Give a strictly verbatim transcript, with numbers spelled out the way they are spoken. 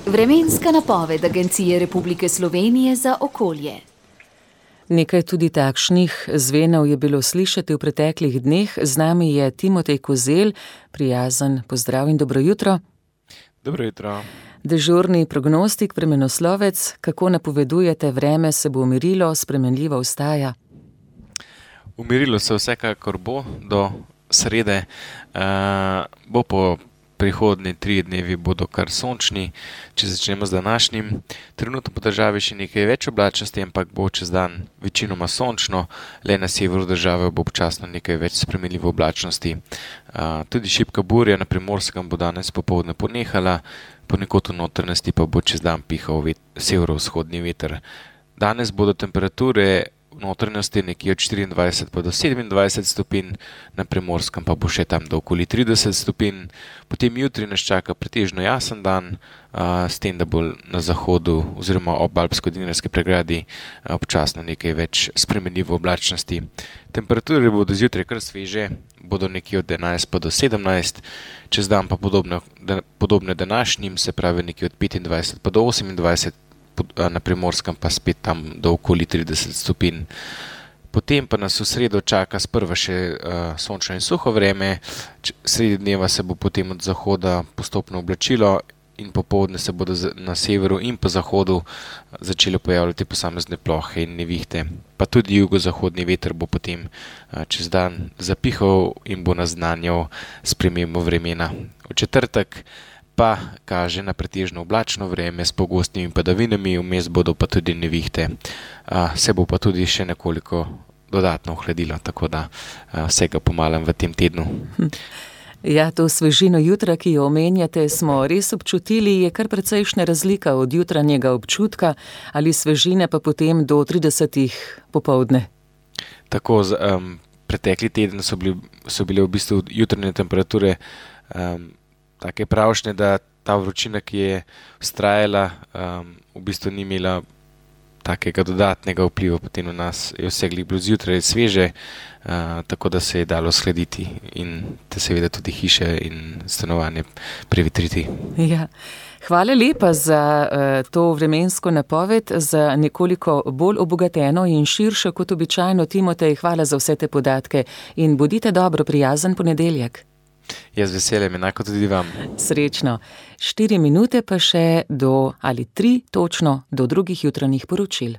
Vremenska napoved Agencije Republike Slovenije za okolje. Nekaj tudi takšnih zvenov je bilo slišati v preteklih dneh. Z nami je Timotej Kozelj, prijazen pozdrav in dobro jutro. Dobro jutro. Dežurni prognostik, vremenoslovec, kako napovedujete, vreme se bo umirilo, spremenljivo ostaja? Umirilo se vsekakor bo do srede, uh, bo po prihodnji tri dnevi bodo kar sončni, če začnemo z današnjim. Trenutno po državi še nekaj več oblačnosti, ampak bo čez dan večinoma sončno, le na severu države bo občasno nekaj več spremenljivo oblačnosti. Uh, tudi šibka burja na Primorskem bo danes popoldne ponehala, ponekod v notranjosti pa bo čez dan pihal vet, severovzhodni veter. Danes bodo temperature v notranjosti nekje od štiriindvajset pa do sedemindvajset stopinj, na Primorskem pa bo še tam do okoli trideset stopinj. Potem jutri nas čaka pretežno jasen dan, a, s tem, da bo na zahodu oziroma ob Alpsko-Dinarski pregradi a, občasno nekaj več spremenljivo oblačnosti. Temperature bodo zjutraj kar sveže, bodo nekje od enajst pa do sedemnajst, čez dan pa podobne, podobne današnjim, se pravi nekje od petindvajset pa do osemindvajset, na Primorskem pa spet tam do okoli trideset stopinj. Potem pa nas v sredo čaka sprva še uh, sončno in suho vreme, sredi dneva se bo potem od zahoda postopno oblačilo in popoldne se bodo na severu in po zahodu začele pojavljati posamezne plohe in nevihte. Pa tudi jugozahodni veter bo potem uh, čez dan zapihal in bo naznanjal spremembo vremena. V četrtek pa kaže na pretežno oblačno vreme s pogostnimi padavinami, vmes bodo pa tudi nevihte. A, se bo pa tudi še nekoliko dodatno ohladilo, tako da a, vsega pomalem v tem tednu. Ja, to svežino jutra, ki jo omenjate, smo res občutili, je kar precejšnja razlika od jutranjega občutka ali svežine pa potem do tridesetih popoldne. Tako, z, um, pretekli teden so, bili, so bile v bistvu jutranje temperature um, take pravšnje, da ta vročina, ki je vztrajala, um, v bistvu ni imela takega dodatnega vpliva potem na nas. Je vse bilo zjutraj sveže, uh, tako da se je dalo shladiti in te seveda tudi hiše in stanovanje prevetriti. Ja. Hvala lepa za uh, to vremensko napoved, za nekoliko bolj obogateno in širšo kot običajno. Timotej, hvala za vse te podatke in bodite dobro, prijazen ponedeljek. Jaz veseljem, enako tudi vam. Srečno. Štiri minute pa še do, ali tri točno, do drugih jutranjih poročil.